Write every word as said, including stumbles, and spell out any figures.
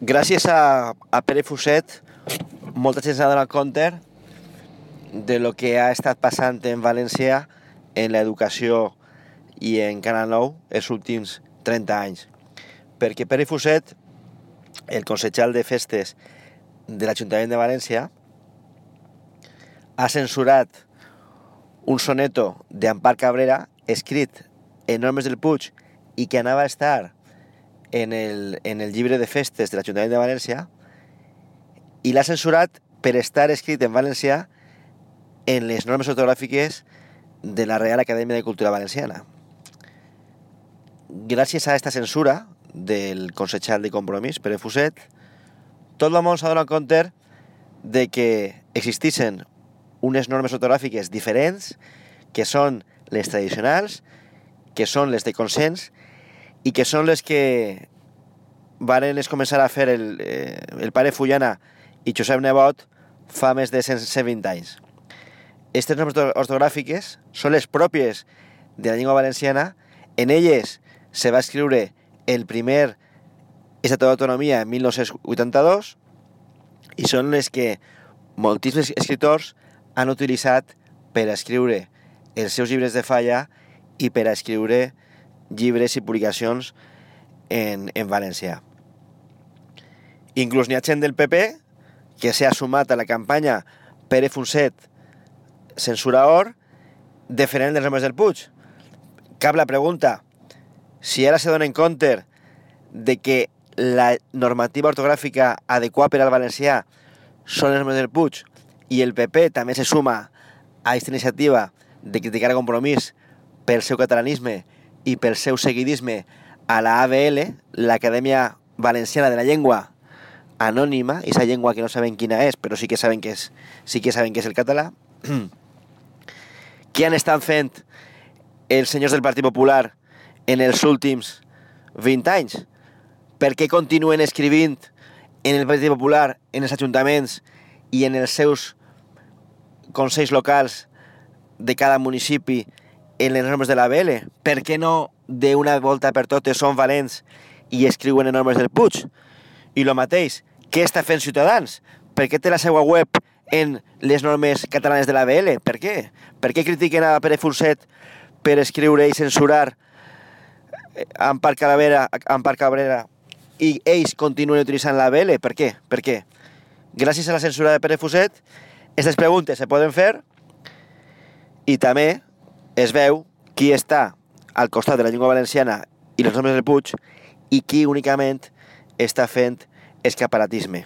gràcies a, a Pere Fuset, molta gent s'ha donat compte de lo que ha estat passant en València en l'educació i en Canal nou els últims trenta anys. Perquè Pere Fuset, el consejal de festes de l'Ajuntament de València, ha censurat un soneto d'Ampar Cabrera escrit en Normes del Puig i que anava a estar en el, en el llibre de festes de l'Ajuntament de València, i l'ha censurat per estar escrit en valencià en les normes ortogràfiques de la Real Acadèmia de Cultura Valenciana. Gràcies a aquesta censura del consejal de Compromís, Pere Fuset, tot el món s'ha donat compte de que existissin unes normes ortogràfiques diferents, que són les tradicionals, que són les de consens, i que són les que varen es començar a fer el, eh, el pare Fullana i Josep Nebot fa més de cent vint anys. Aquestes normes ortogràfiques són les pròpies de la llengua valenciana. En elles se va escriure el primer Estatut d'Autonomia en mil nou-cents vuitanta-dos i són les que moltíssims escriptors han utilitzat per a escriure els seus llibres de falla i per a escriure llibres i publicacions en, en valencià. Inclús n'hi ha gent del P P que s'ha sumat a la campanya Pere Fuset censura or defendent les normes del Puig. Cap la pregunta, si ara se donen compte de que la normativa ortogràfica adequada per al valencià són les normes del Puig i el P P també se suma a aquesta iniciativa de criticar a Compromís pel seu catalanisme i pel seu seguidisme a la A B L, l'Acadèmia Valenciana de la Llengua Anònima, i esa llengua que no saben quina és, però sí que saben que és, sí que saben que és el català. Què han estat fent els senyors del Partit Popular en els últims vint anys? Per què continuen escrivint en el Partit Popular, en els ajuntaments i en els seus consells locals de cada municipi en les normes de la B L? Per què no d'una volta per totes són valents i escriuen en normes del Puig? I el mateix, què està fent Ciutadans? Per què té la seva web en les normes catalanes de la B L? Per què? Per què critiquen a Pere Fuset per escriure i censurar Ampar Cabrera, Ampar Cabrera i ells continuen utilitzant la B L? Per què? Per què? Gràcies a la censura de Pere Fuset, aquestes preguntes se poden fer i també es veu qui està al costat de la llengua valenciana i les normes del Puig i qui únicament està fent escaparatisme.